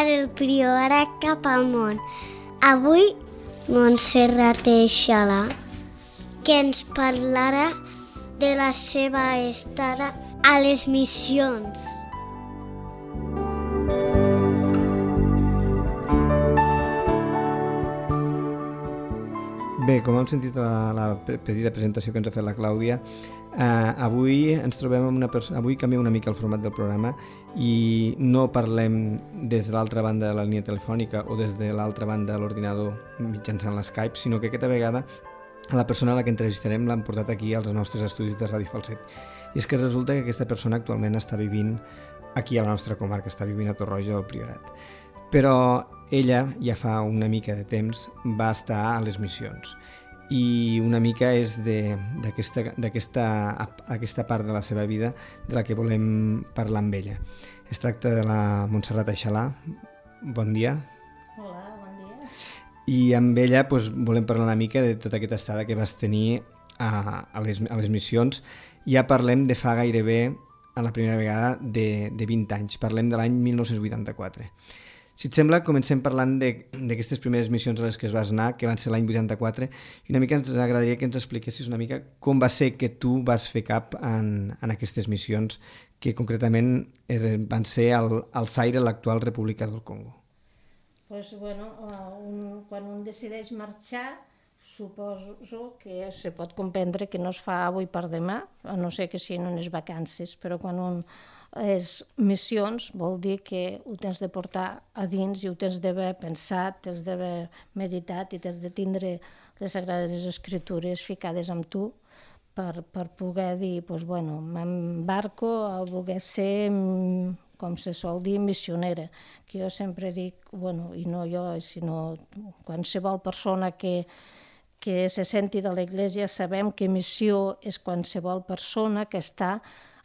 del Priorat cap al món. Avui Montserrat Eixalà, que ens parlarà de la seva estada a les missions. Bé, com hem sentit a la petita presentació que ens ha fet la Clàudia, avui ens trobem amb una persona. Avui canviem una mica el format del programa i no parlem des de l'altra banda de la línia telefònica o des de l'altra banda de l'ordinador mitjançant l'Skype, sinó que aquesta vegada a la persona a la que entrevistarem l'han portat aquí als nostres estudis de Ràdio Falset. I és que resulta que aquesta persona actualment està vivint aquí a la nostra comarca, està vivint a Torroja del Priorat. Però ella, ja fa una mica de temps, va estar a les missions i una mica és d'aquesta part de la seva vida de la que volem parlar amb ella. Es tracta de la Montserrat Eixalà. Bon dia. Hola, bon dia. I amb ella volem parlar una mica de tota aquesta estada que vas tenir a les missions. Ja parlem de fa gairebé, a la primera vegada, de 20 anys. Parlem de l'any 1984. Si et sembla, comencem parlant d'aquestes primeres missions a les que es vas anar, que van ser l'any 84, i una mica ens agradaria que ens expliquessis una mica com va ser que tu vas fer cap en aquestes missions, que concretament van ser al Zaire, l'actual República del Congo. Doncs, quan un decideix marxar, suposo que se pot comprendre que no es fa avui per demà, a no ser que siguin unes vacances, però quan un és missions vol dir que ho tens de portar a dins i ho tens d'haver pensat, tens d'haver meditat i tens de tindre les Sagrades Escritures ficades amb tu per poder dir, m'embarco a voler ser, com se sol dir, missionera, que jo sempre dic, i no jo, sinó qualsevol persona que se senti de l'Església, sabem que missió és qualsevol persona que està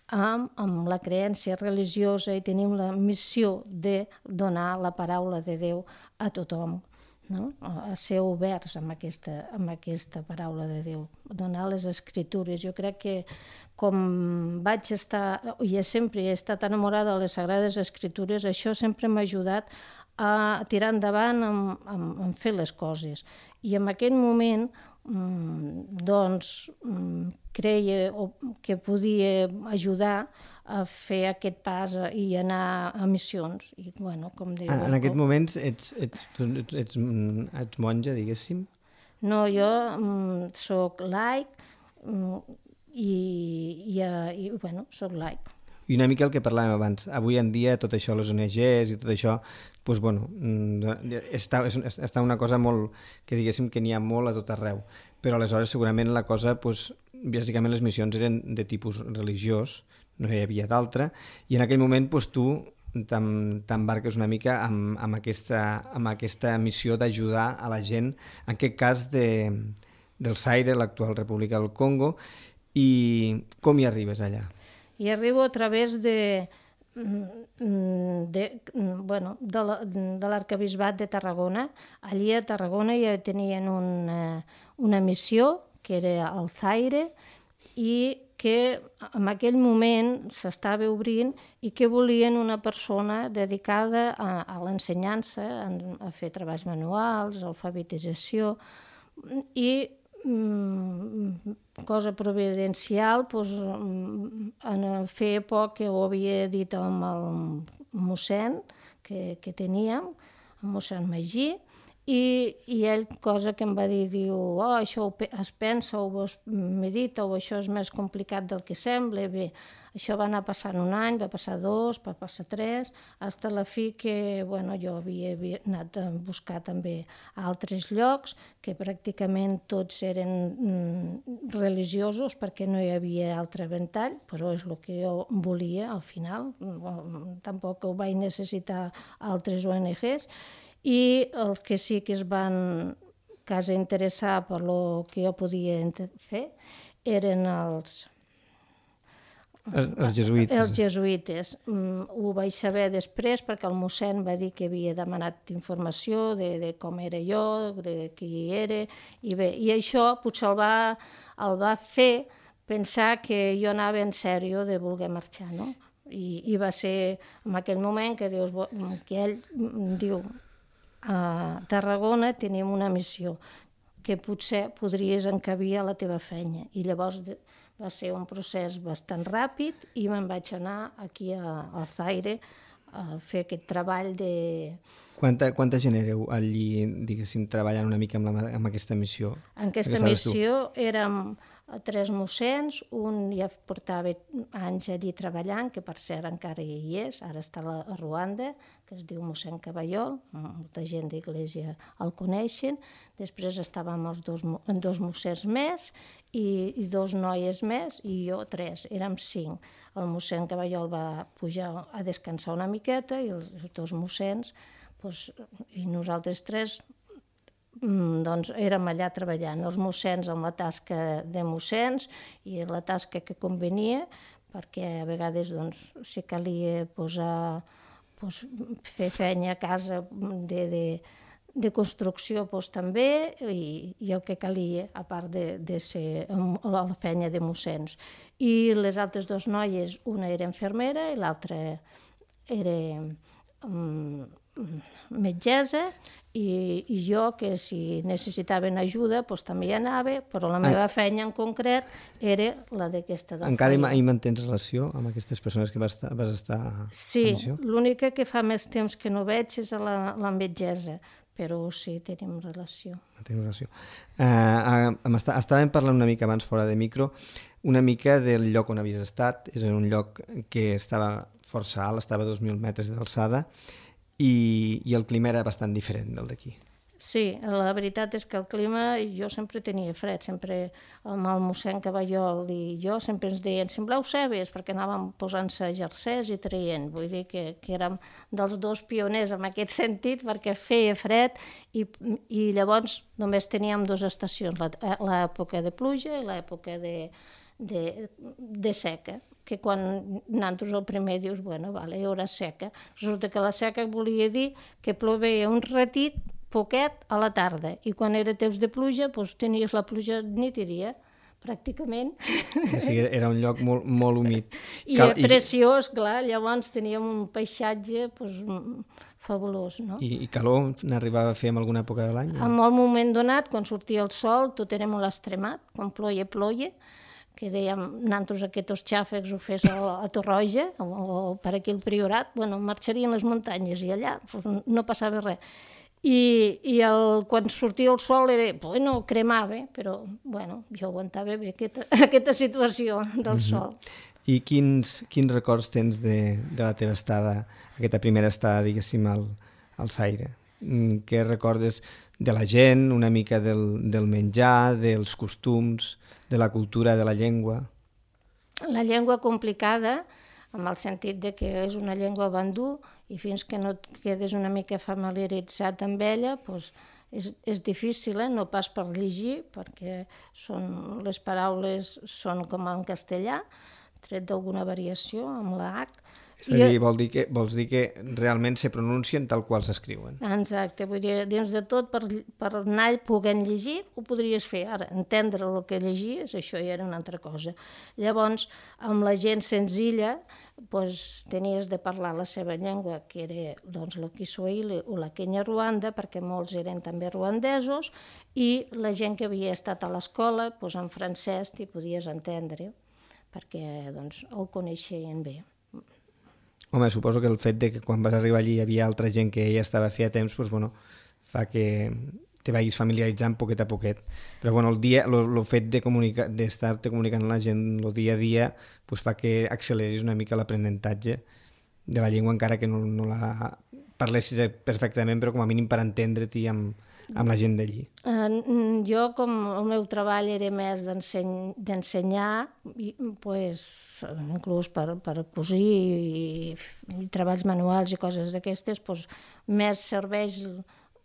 amb la creença religiosa i tenim la missió de donar la paraula de Déu a tothom, no? A ser oberts amb aquesta paraula de Déu, donar les Escritures. Jo crec que com vaig estar, i sempre he estat enamorada de les Sagrades Escritures, això sempre m'ha ajudat a tirar endavant en fer les coses. I en aquell moment creia que podia ajudar a fer aquest pas i anar a missions. I, com diu, en aquest moment ets monja, diguéssim? No, jo soc laic i soc laic. I una mica el que parlàvem abans, avui en dia tot això, les ONGs i tot això, està una cosa molt, que diguéssim que n'hi ha molt a tot arreu, però aleshores segurament la cosa, bàsicament les missions eren de tipus religiós, no hi havia d'altra, i en aquell moment tu t'embarques una mica amb aquesta missió d'ajudar a la gent, en aquest cas del Zaire, l'actual República del Congo, i com hi arribes allà? I arribo a través de l'arquebisbat de Tarragona. Allí a Tarragona ja tenien una missió, que era al Zaire, i que en aquell moment s'estava obrint i que volien una persona dedicada a l'ensenyança, a fer treballs manuals, alfabetització, i cosa providencial, feia poc que ho havia dit amb el mossèn que teníem, el mossèn Magí, i ell, cosa que em va dir, diu, això es pensa o es medita o això és més complicat del que sembla. Bé, això va anar passant un any, va passar 2, va passar 3, fins a la fi que jo havia anat a buscar també a altres llocs, que pràcticament tots eren religiosos perquè no hi havia altre ventall, però és el que jo volia al final, tampoc ho vaig necessitar altres ONGs, i els que sí que es van quasi interessar per el que jo podia fer eren els jesuïtes. Els jesuïtes. Ho vaig saber després perquè el mossèn va dir que havia demanat informació de com era jo, de qui era, i això potser el va fer pensar que jo anava en sèrio de voler marxar, no? I va ser en aquell moment que ell diu a Tarragona tenim una missió que potser podries encabir a la teva feina. I llavors va ser un procés bastant ràpid i me'n vaig anar aquí a Zaire a fer aquest treball de... Quanta gent éreu allí, diguéssim, treballant una mica amb aquesta missió? En aquesta missió érem 3 mossens, un ja portava anys allí treballant, que per cert encara hi és, ara està a Ruanda, que es diu mossèn Caballol, molta gent d'Església el coneixen. Després estàvem els 2 mossens més i 2 noies més i jo 3, érem 5. El mossèn Caballol va pujar a descansar una miqueta i els 2 mossens i nosaltres 3 doncs érem allà treballant, els mossens amb la tasca de mossens i la tasca que convenia, perquè a vegades si calia fer feina a casa de construcció també i el que calia, a part de ser la feina de mossens. I les altres 2 noies, una era infermera i l'altra era metgessa i jo, que si necessitaven ajuda també hi anava, però la meva feina en concret era la d'aquesta dona. Encara hi mantens relació amb aquestes persones que vas estar a missió? Sí, l'única que fa més temps que no veig és la metgessa, però sí, tenim relació. Estàvem parlant una mica abans fora de micro, una mica del lloc on havies estat. És un lloc que estava força alt, estava a 2.000 metres d'alçada, i el clima era bastant diferent del d'aquí. Sí, la veritat és que el clima, jo sempre tenia fred, sempre amb el mossèn Caballol i jo sempre ens deien sembleu cebes, perquè anàvem posant-se jerseis i traient, vull dir que érem dels 2 pioners en aquest sentit, perquè feia fred i llavors només teníem 2 estacions, l'època de pluja i l'època de seca, que quan nosaltres el primer dius, bueno, vale, hi haurà seca. Resulta que la seca volia dir que plovia un ratit, poquet, a la tarda, i quan era temps de pluja, tenies la pluja nit i dia, pràcticament. Sí, era un lloc molt humit. I preciós, clar, llavors teníem un paisatge fabulós, no? I calor n'arribava a fer en alguna època de l'any? En un moment donat, quan sortia el sol, tot era molt extremat, quan ploia, que dèiem, nosaltres aquests xàfecs ho fes a Torroja o per aquí al Priorat, marxarien les muntanyes i allà no passava res. I quan sortia el sol cremava, però jo aguantava bé aquesta situació del sol. I quins records tens de la teva estada, aquesta primera estada, diguéssim, al Zaire? Què recordes de la gent, una mica del menjar, dels costums, de la cultura, de la llengua? La llengua complicada, en el sentit de que és una llengua bandú i fins que no et quedes una mica familiaritzat amb ella, és difícil, no pas per llegir, perquè les paraules són com en castellà, tret d'alguna variació amb la H. És a dir, vols dir que realment se pronuncien tal qual s'escriuen. Exacte, vull dir, dins de tot, per anar podent llegir, ho podries fer. Ara, entendre el que llegies, això ja era una altra cosa. Llavors, amb la gent senzilla, tenies de parlar la seva llengua, que era el Kiswahili o la Kenya-Ruanda, perquè molts eren també ruandesos, i la gent que havia estat a l'escola, en francès t'hi podies entendre, perquè el coneixien bé. Home, suposo que el fet de que quan vas arribar allí hi havia altra gent que ja estava feia temps, fa que te vagis familiaritzant poquet a poquet. Però el fet d'estar-te comunicant amb la gent el dia a dia fa que acceleris una mica l'aprenentatge de la llengua, encara que no la parlessis perfectament, però com a mínim per entendre-t'hi amb la gent d'allí. Jo, com el meu treball era més d'ensenyar, inclús per cosir i treballs manuals i coses d'aquestes, més serveix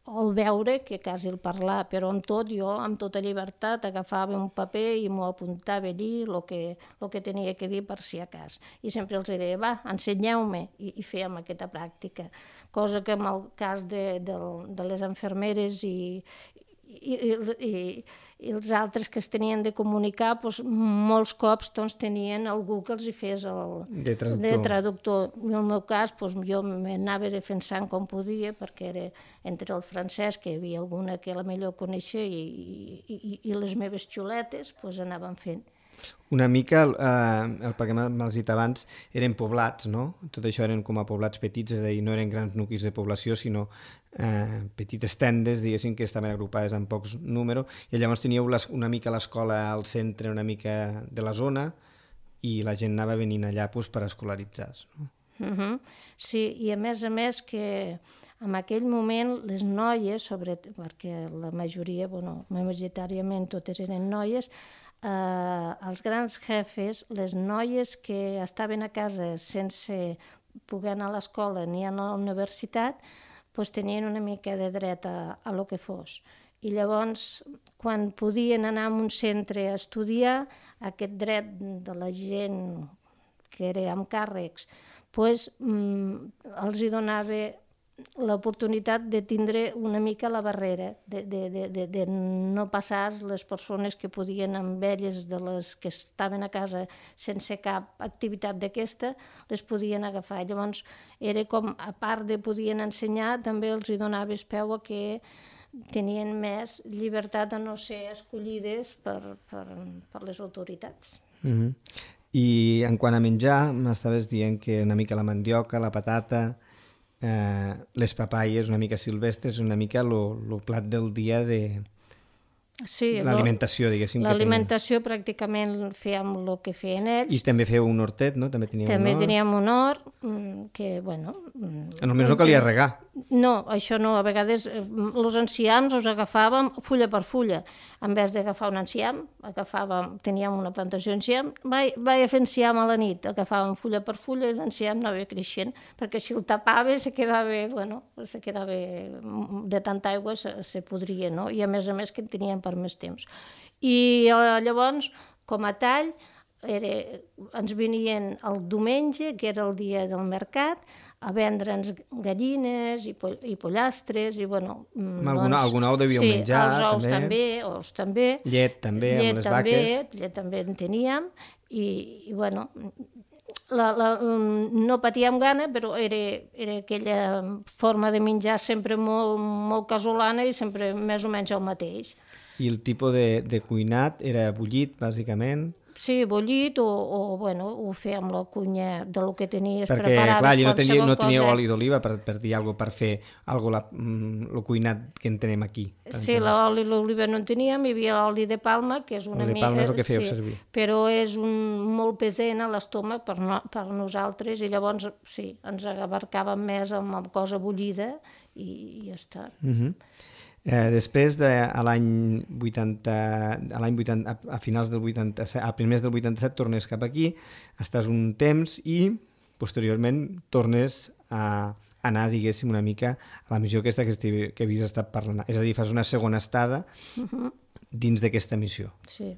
el veure que quasi el parlar, però amb tot jo, amb tota llibertat, agafava un paper i m'ho apuntava allí el que tenia que dir per si a cas. I sempre els deia, va, ensenyeu-me, i fèiem aquesta pràctica. Cosa que en el cas de les infermeres i els altres que es tenien de comunicar, doncs, molts cops doncs, tenien algú que els hi fes de traductor. En el meu cas, doncs, jo m'anava defensant com podia, perquè era entre el francès, que hi havia alguna que la millor coneixia, i les meves xuletes, doncs, anaven fent. Una mica, perquè m'has dit abans, eren poblats, no? Tot això eren com a poblats petits, és a dir, no eren grans nuclis de població, sinó petites tendes, diguéssim, que estaven agrupades en pocs números, i llavors teníeu una mica l'escola al centre, una mica de la zona, i la gent anava venint allà per escolaritzar-se. No? Sí, i a més que en aquell moment les noies, perquè la majoria, majoritàriament totes eren noies, els grans jefes, les noies que estaven a casa sense poder anar a l'escola ni a la universitat, doncs tenien una mica de dret a lo que fos. I llavors, quan podien anar a un centre a estudiar, aquest dret de la gent que era amb càrrecs, doncs els hi donava l'oportunitat de tindre una mica la barrera, de no passar les persones que podien amb elles, de les que estaven a casa sense cap activitat d'aquesta, les podien agafar. Llavors era com, a part de podien ensenyar, també els hi donaves peu a que tenien més llibertat a no ser escollides per les autoritats. I en quant a menjar, m'estaves dient que una mica la mandioca, la patata, les papaies una mica silvestres, una mica el plat del dia de l'alimentació, diguéssim. L'alimentació pràcticament fèiem el que feien ells. I també feu un hortet, no? També teníem un hort, que, Només no calia regar. No, això no. A vegades els enciams els agafàvem fulla per fulla. En vez d'agafar un enciam, teníem una plantació d'enciam, vaig a fer enciam a la nit, agafàvem fulla per fulla i l'enciam anava creixent, perquè si el tapava se quedava de tanta aigua se podria, no? I a més que en teníem per més temps. I llavors, com a tall, ens venien el diumenge, que era el dia del mercat, a vendre'ns gallines i pollastres i algun ou devíeu menjar, ous també, llet també, amb les vaques. Llet també en teníem i no patíem gana, però era aquella forma de menjar sempre molt casolana i sempre més o menys el mateix. I el tipus de cuinat era bullit, bàsicament? Sí, bullit o ho fer amb la cunya del que tenies Perquè, preparat. clar, no teníeu oli d'oliva, per dir alguna cosa, per fer el cuinat que en tenim aquí. Sí, l'oli d'oliva no en teníem, hi havia l'oli de palma, que és una mica... Oli de palma és el que fèieu servir. Però és molt pesent a l'estómac per nosaltres i llavors, sí, ens abarcàvem més amb cosa bullida i ja està. Després, a l'any 80, a finals del 87, a primers del 87, tornes cap aquí, estàs un temps i posteriorment tornes a anar, diguéssim, una mica a la missió aquesta que havies estat parlant. És a dir, fas una segona estada dins d'aquesta missió. Sí.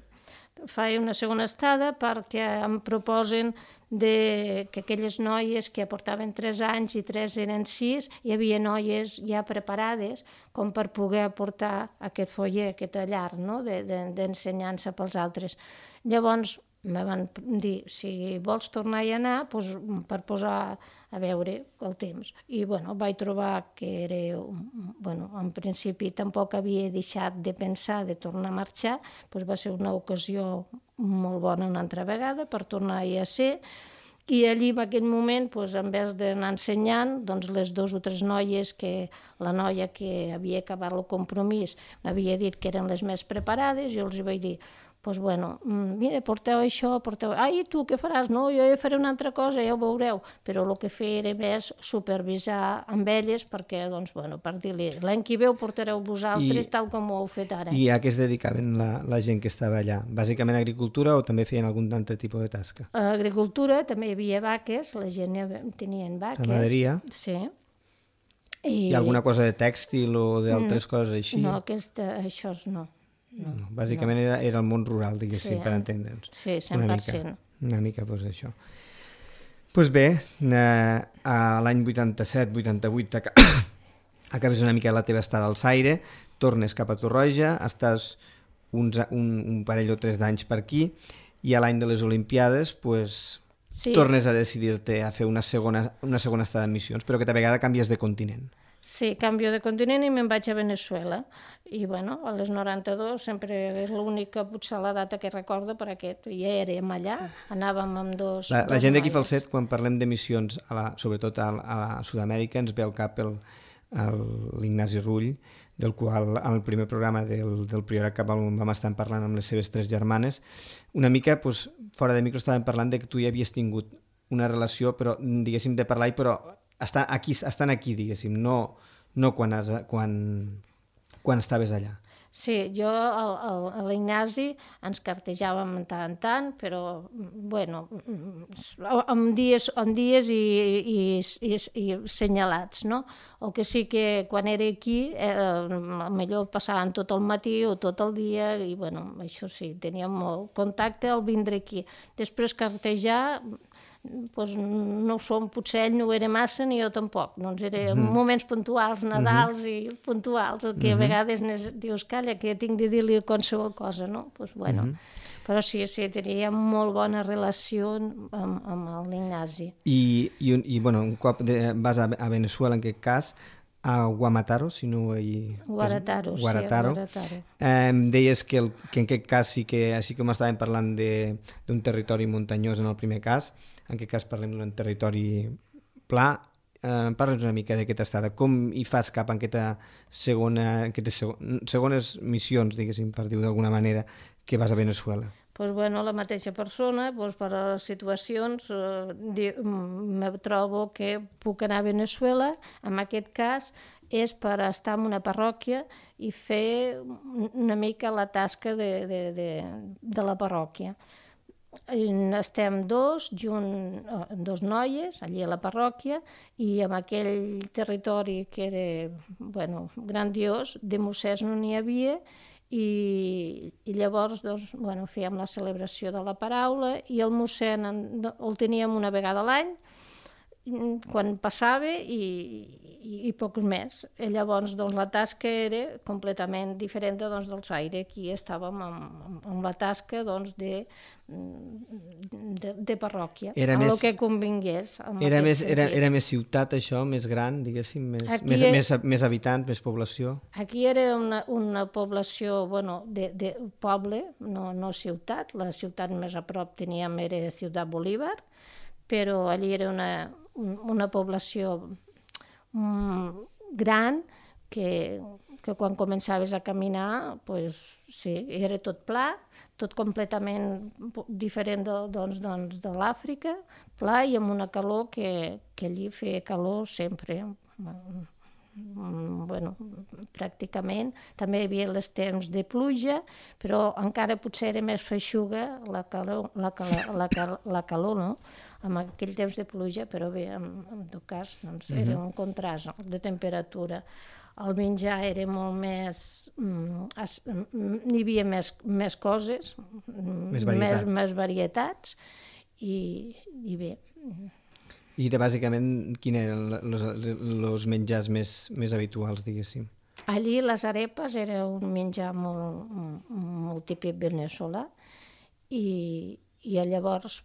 Faig una segona estada perquè em proposen que aquelles noies que portaven 3 anys i 3 eren 6, hi havia noies ja preparades com per poder portar aquest foller, aquest llar, no? d'ensenyança pels altres. Llavors me van dir, si vols tornar a anar, doncs, per posar a veure el temps. I vaig trobar que era, en principi tampoc havia deixat de pensar de tornar a marxar, doncs va ser una ocasió molt bona una altra vegada per tornar-hi a ser. I allí, en aquell moment, en vez d'anar ensenyant, les 2 o 3 noies, la noia que havia acabat el compromís m'havia dit que eren les més preparades, jo els vaig dir, mira, porteu això, i tu què faràs? No, jo faré una altra cosa, ja ho veureu. Però el que feia era més supervisar amb elles perquè, per dir-li, l'any que ve ho portareu vosaltres tal com ho heu fet ara. I a què es dedicaven la gent que estava allà? Bàsicament agricultura o també feien algun altre tipus de tasca? Agricultura, també hi havia vaques, la gent tenien vaques. Ramaderia? Sí. I alguna cosa de tèxtil o d'altres coses així? No, això no. No, bàsicament era el món rural, diguéssim, per entendre'ns. Sí, 100%. Una mica, això. Doncs bé, a l'any 87-88 acabes una mica la teva estada al Zaire, tornes cap a Torroja, estàs un parell o 3 d'anys per aquí, i a l'any de les Olimpiades pues, tornes a decidir-te a fer una segona estada en missions, però que a vegada canvies de continent. Sí, canvio de continent i me'n vaig a Venezuela. I bueno, a les 92 sempre és l'única, potser la data que recordo per aquest. Ja érem allà, anàvem amb dos... La gent d'aquí Falset, quan parlem de missions, sobretot a Sud-amèrica, ens ve al cap l'Ignasi Rull, del qual al primer programa del Priorat cap on vam estar parlant amb les seves 3 germanes. Una mica, doncs, fora de micro, estàvem parlant de que tu ja havies tingut una relació, però, diguéssim, de parlar, però estan aquí, diguéssim, no quan estaves allà. Sí, jo a l'Ignasi ens cartejàvem tant en tant, però, bueno, amb dies i senyalats, no? O que sí que quan era aquí, millor passaven tot el matí o tot el dia, i, bueno, això sí, teníem molt contacte al vindre aquí. Després cartejar... Pues no ho som, potser ell no ho era massa ni jo tampoc, doncs eren moments puntuals, Nadals i puntuals, el que a vegades dius, calla, que tinc de dir-li qualsevol cosa, no? Pues bueno, però sí, teníem molt bona relació amb l'Ignasi. I bueno, un cop vas a Venezuela, en aquest cas, a Guamataro, si no hi... Guarataro. Deies que en aquest cas sí que, així com estàvem parlant d'un territori muntanyós en el primer cas, en aquest cas parlem d'un territori pla. Parla'ns una mica d'aquesta estada. Com hi fas cap a aquestes segones missions, diguéssim, per dir-ho d'alguna manera, que vas a Venezuela? Pues bueno, la mateixa persona, pues per a les situacions, me trobo que puc anar a Venezuela, en aquest cas és per estar en una parròquia i fer una mica la tasca de la parròquia. Estem dos noies allí a la parròquia, i en aquell territori que era grandiós, de mossès no n'hi havia, i llavors fèiem la celebració de la paraula, i el mossèn el teníem una vegada a l'any, quan passava, i poc més. I llavors la tasca era completament diferent dels aires. Aquí estàvem amb la tasca de parròquia, amb el que convingués. Era més ciutat, això, més gran, diguéssim, més habitants, més població? Aquí era una població de poble, no ciutat. La ciutat més a prop teníem era Ciutat Bolívar, però allí era una població gran que quan començaves a caminar, era tot pla, tot completament diferent de l'Àfrica, pla i amb una calor que allí feia calor sempre. Pràcticament. També hi havia els temps de pluja, però encara potser era més feixuga la calor, no? En aquell temps de pluja, però bé, en tot cas, era un contrast de temperatura. El menjar era molt més... N'hi havia més coses, més varietats, i bé... I bàsicament, quins eren els menjars més habituals, diguéssim? Allí les arepes era un menjar molt típic veneçolà, i llavors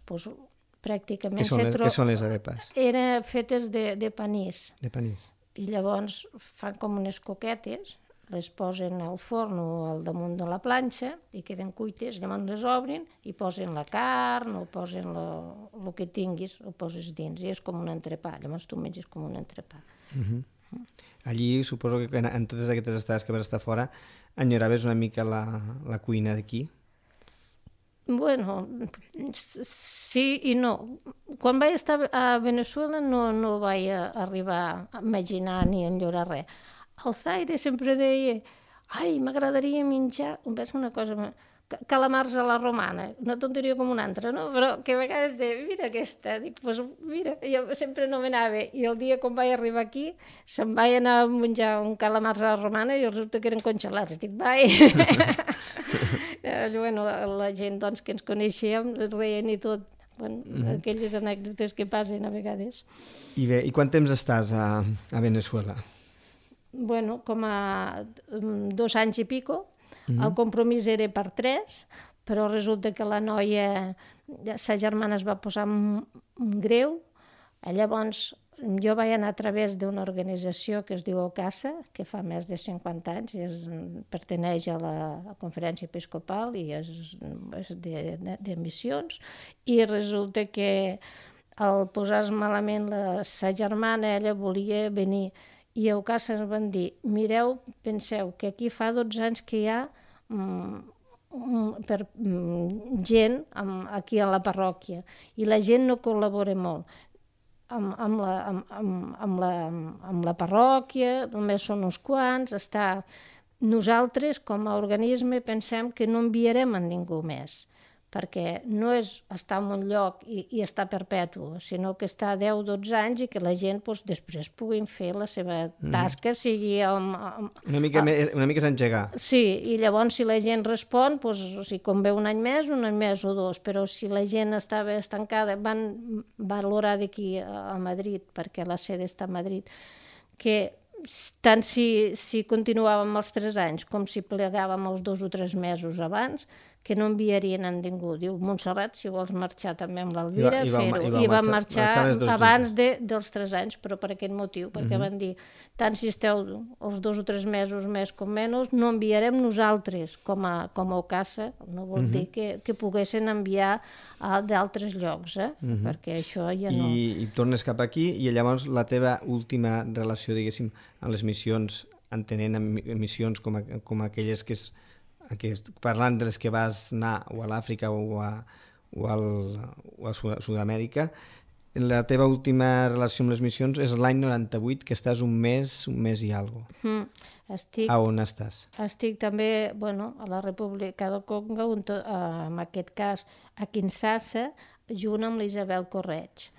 pràcticament... Què són les arepes? Eren fetes de panís. De panís. I llavors fan com unes coquetes, les posen al forn o al damunt de la planxa i queden cuites, llavors les obrin i posen la carn o posen el que tinguis, ho poses dins, i és com un entrepà, llavors tu menges com un entrepà. Allí suposo que en totes aquestes estades que vas estar fora enyoraves una mica la cuina d'aquí? Bueno, sí i no. Quan vaig estar a Venezuela no vaig arribar a imaginar ni a enyorar res. El Zaire sempre deia, ai, m'agradaria menjar, una cosa, calamars a la romana, una tonteria com una altra, no? Però que a vegades deia, mira aquesta, dic, doncs mira, jo sempre no m'anava, i el dia quan vaig arribar aquí, se'm vaig anar a menjar un calamars a la romana i resulta que eren congelats, dic, vai! Bueno, la gent que ens coneixíem reien i tot, aquelles anècdotes que passen a vegades. I bé, i quant temps estàs a Venezuela? com a 2 anys i pico. El compromís era per 3, però resulta que la noia, sa germana es va posar greu. Llavors, jo vaig anar a través d'una organització que es diu OCASA, que fa més de 50 anys, perteneix a la Conferència Episcopal i és de missions, i resulta que al posar-se malament sa germana, ella volia venir, i a OCASA ens van dir, mireu, penseu que aquí fa 12 anys que hi ha gent aquí a la parròquia, i la gent no col·labora molt amb la parròquia, només són uns quants, nosaltres com a organisme pensem que no enviarem a ningú més, perquè no és estar en un lloc i estar perpetu, sinó que està 10-12 anys i que la gent després puguin fer la seva tasca, sigui... Una mica s'engegar. Sí, i llavors si la gent respon, si convé un any més o 2, però si la gent estava estancada, van valorar d'aquí a Madrid, perquè la sede està a Madrid, que tant si continuàvem els 3 anys com si plegàvem els 2 o 3 mesos abans, que no enviarien a ningú. Diu, Montserrat, si vols marxar també amb l'Elvira, fer-ho. I van marxar abans dels 3 anys, però per aquest motiu, perquè van dir, tant si esteu els 2 o 3 mesos més com menys, no enviarem nosaltres com a OCASA, no vol dir que poguessin enviar d'altres llocs, perquè això ja no... I tornes cap aquí, i llavors la teva última relació, diguéssim, amb les missions, entenent missions com aquelles que parlant de les que vas anar o a l'Àfrica o a Sud-amèrica, la teva última relació amb les missions és l'any 98, que estàs un mes i alguna cosa. A on estàs? Estic també a la República del Congo, en aquest cas a Kinshasa, junt amb l'Isabel Correig,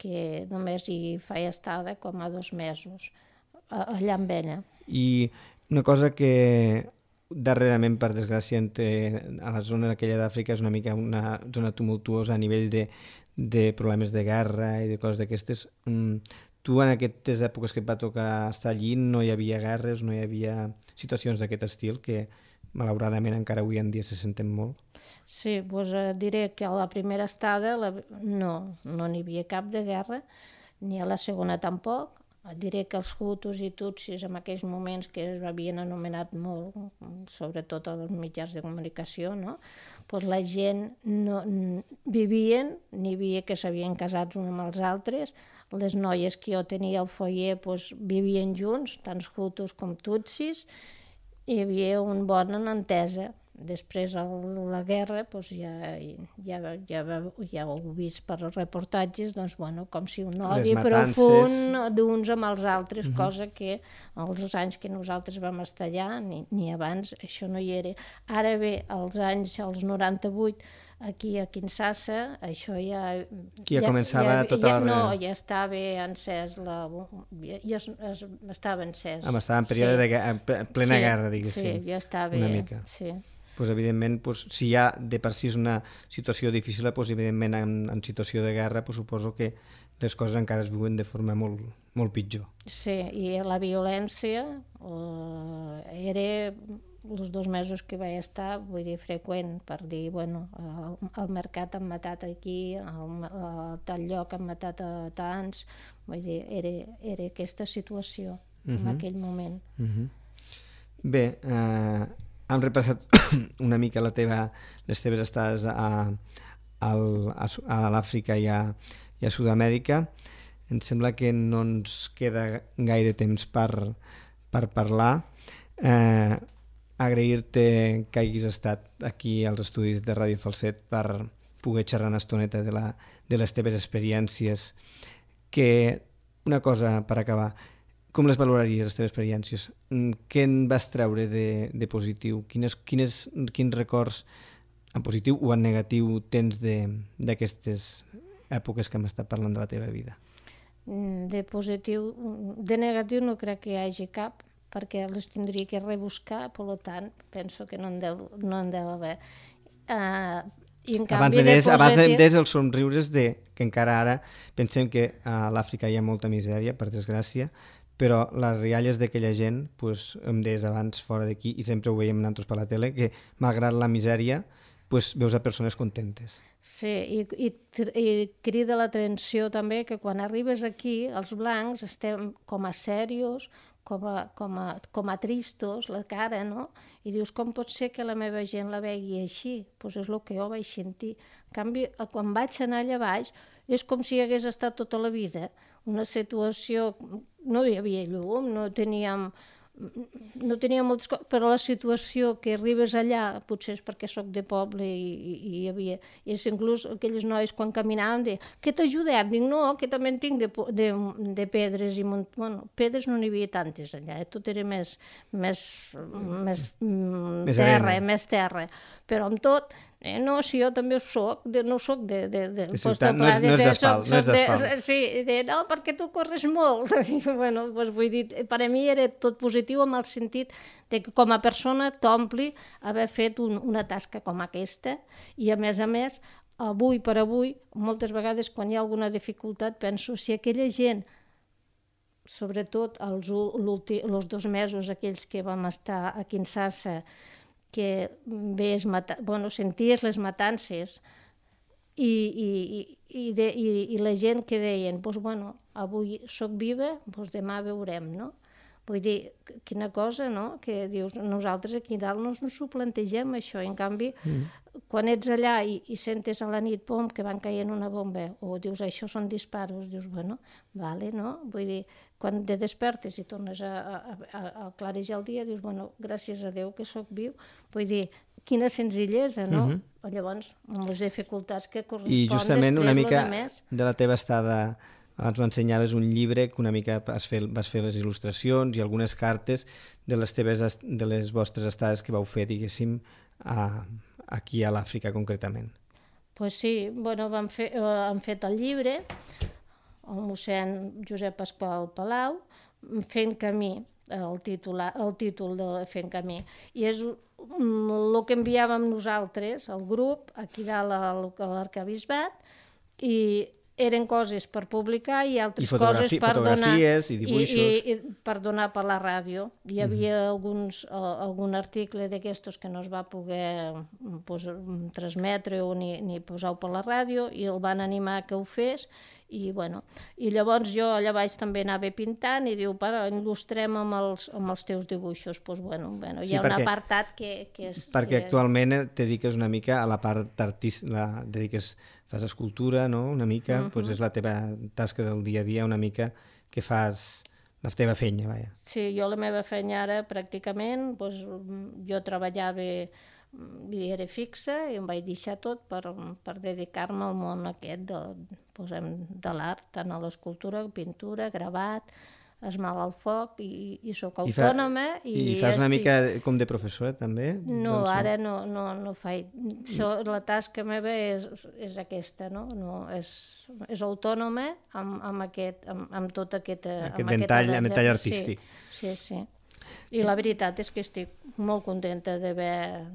que només hi feia estada com a 2 mesos, allà amb ella. I una cosa que... darrerament, per desgràcia, a la zona aquella d'Àfrica és una mica una zona tumultuosa a nivell de problemes de guerra i de coses d'aquestes. Tu, en aquestes èpoques que et va tocar estar allí, no hi havia guerres, no hi havia situacions d'aquest estil que, malauradament, encara avui en dia se senten molt? Sí, diré que a la primera estada no n'hi havia cap de guerra, ni a la segona tampoc. Diré que els hutus i tutsis en aquells moments que es havien anomenat molt, sobretot als mitjans de comunicació, la gent vivien, n'hi havia que s'havien casat uns amb els altres, les noies que jo tenia al foyer vivien junts, tant hutus com tutsis, hi havia una bona entesa. Després de la guerra, ja ho he vist per reportatges, com si un odi profund d'uns amb els altres, cosa que als anys que nosaltres vam estar allà, ni abans, això no hi era. Ara bé, als 98, aquí a Kinshasa, això ja... Ja començava tota la... No, ja estava encès, ja estava encès. Estava en període de plena guerra, diguéssim. Sí, ja estava... Una mica. Sí. Evidentment, si ja de per si és una situació difícil, evidentment en situació de guerra suposo que les coses encara es viuen de forma molt, molt pitjor. Sí, i la violència era els 2 mesos que vaig estar, vull dir, freqüent, per dir, al mercat han matat aquí, a tal lloc han matat a tants, vull dir, era aquesta situació en aquell moment. Bé, hem repassat una mica les teves estades a l'Àfrica i a Sud-amèrica. Em sembla que no ens queda gaire temps per parlar. Agrair-te que hagis estat aquí als estudis de Ràdio Falset per poder xerrar una estoneta de les teves experiències. Una cosa per acabar, com les valoraries, les teves experiències? Què en vas treure de positiu? Quins records, en positiu o en negatiu, tens d'aquestes èpoques que hem estat parlant de la teva vida? De positiu, de negatiu no crec que hi hagi cap, perquè les tindria que rebuscar, per tant, penso que no en deu haver. I en canvi abans em des els somriures que encara ara pensem que a l'Àfrica hi ha molta misèria, per desgràcia, però les rialles d'aquella gent, pues, em deies abans fora d'aquí, i sempre ho veiem nosaltres per la tele, que malgrat la misèria pues, veus a persones contentes. Sí, i crida l'atenció també que quan arribes aquí, els blancs estem com a serios, com a tristos, la cara, no? I dius, com pot ser que la meva gent la vegi així? Doncs és el que jo vaig sentir. En canvi, quan vaig anar allà baix, és com si hagués estat tota la vida. Una situació... No hi havia llum, no teníem moltes coses, però la situació que arribes allà, potser és perquè sóc de poble i hi havia... I inclús aquelles noies quan caminaven deien, què t'ajudem? Dic, no, que també en tinc de pedres i bueno, pedres no n'hi havia tantes allà, tot era més terra, però amb tot, no, si jo també no soc de ciutat, no és d'asfalt. Sí, no, perquè tu corres molt. Bueno, doncs vull dir, per a mi era tot positiu en el sentit de que com a persona t'ompli haver fet una tasca com aquesta i a més, avui per avui, moltes vegades quan hi ha alguna dificultat penso si aquella gent, sobretot els 2 mesos aquells que vam estar a Kinshasa, que senties les matances i la gent que deien, avui soc viva, demà veurem, no? Vull dir, quina cosa, no? Que dius, nosaltres aquí dalt no ens ho plantegem, això, i en canvi, quan ets allà i sentes a la nit, que van caient una bomba, o dius, això són disparos, dius, vale, no? Vull dir, quan te despertes i tornes a clarejar el dia, dius, gràcies a Déu que sóc viu. Vull dir, quina senzillesa, no? Llavors, amb les dificultats que corresponen I justament una mica més... de la teva estada, abans m'ensenyaves un llibre que una mica vas fer les il·lustracions i algunes cartes de les vostres estades que vau fer, diguéssim, aquí a l'Àfrica concretament. Pues sí, han fet el llibre, el mossèn Josep Pasqual Palau, Fent camí, el títol de Fent camí, i és el que enviàvem nosaltres, el grup, aquí dalt a l'arquebisbat, i eren coses per publicar i altres coses per donar... Fotografies i dibuixos. I per donar per la ràdio. Hi havia algun article d'aquestos que no es va poder transmetre o ni posar per la ràdio i el van animar que ho fes. I llavors jo allà baix també anava pintant i diu, il·lustrem amb els teus dibuixos. Hi ha un apartat que és... Perquè actualment et dediques una mica a la part artística, fas escultura, no? Una mica, és la teva tasca del dia a dia, una mica que fas la teva feina, vaja. Sí, jo la meva feina ara pràcticament, jo treballava i era fixa i em vaig deixar tot per dedicar-me al món aquest de l'art, tant a l'escultura, pintura, gravat, esmal al foc i soc autònoma. I fas una mica com de professora també? No, ara no faig. La tasca meva és aquesta, no? És autònoma amb tot aquest ventall artístic. Sí. I la veritat és que estic molt contenta d'haver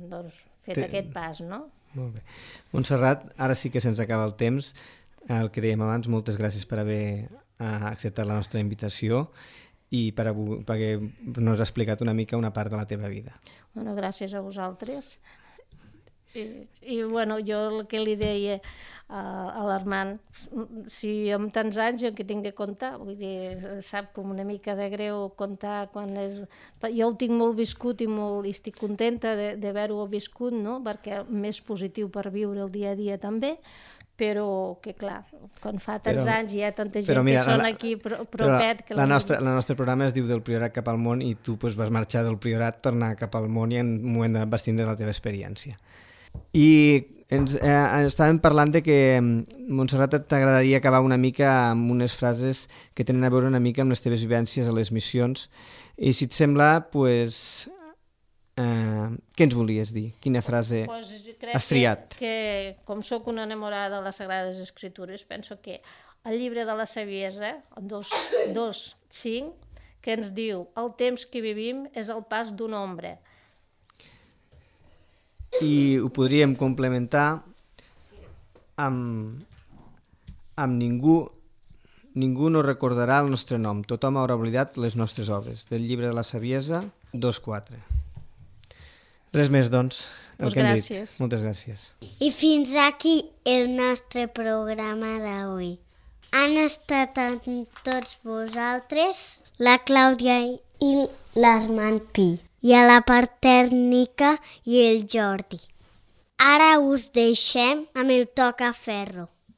fet aquest pas, no? Molt bé. Montserrat, ara sí que se'ns acaba el temps. El que dèiem abans, moltes gràcies per haver acceptat la nostra invitació i perquè nos has explicat una mica una part de la teva vida. Gràcies a vosaltres. I jo el que li deia a l'Armand, si amb tants anys jo que tinc de contar, vull dir, sap com una mica de greu contar quan és... Jo ho tinc molt viscut i estic contenta d'haver-ho viscut, no? Perquè més positiu per viure el dia a dia també, però que clar, quan fa tants anys hi ha tanta gent que són aquí propet... La nostra programa es diu Del Priorat cap al món i tu vas marxar del Priorat per anar cap al món i en un moment vas tindre la teva experiència. I estàvem parlant de que, Montserrat, t'agradaria acabar una mica amb unes frases que tenen a veure una mica amb les teves vivències a les missions i si et sembla, què ens volies dir? Quina frase has triat? Que com sóc una enamorada de les Sagrades Escritures, penso que el llibre de la Saviesa, 2.5, que ens diu el temps que vivim és el pas d'una ombra. I ho podríem complementar amb ningú Ningú no recordarà el nostre nom, tothom haurà oblidat les nostres obres. Del llibre de la saviesa, 2.4. Res més, doncs, el que hem dit. Moltes gràcies. I fins aquí el nostre programa d'avui. Han estat amb tots vosaltres la Clàudia i l'Armand Pi, i a la part tècnica i el Jordi. Ara us deixem amb el Tocaferro.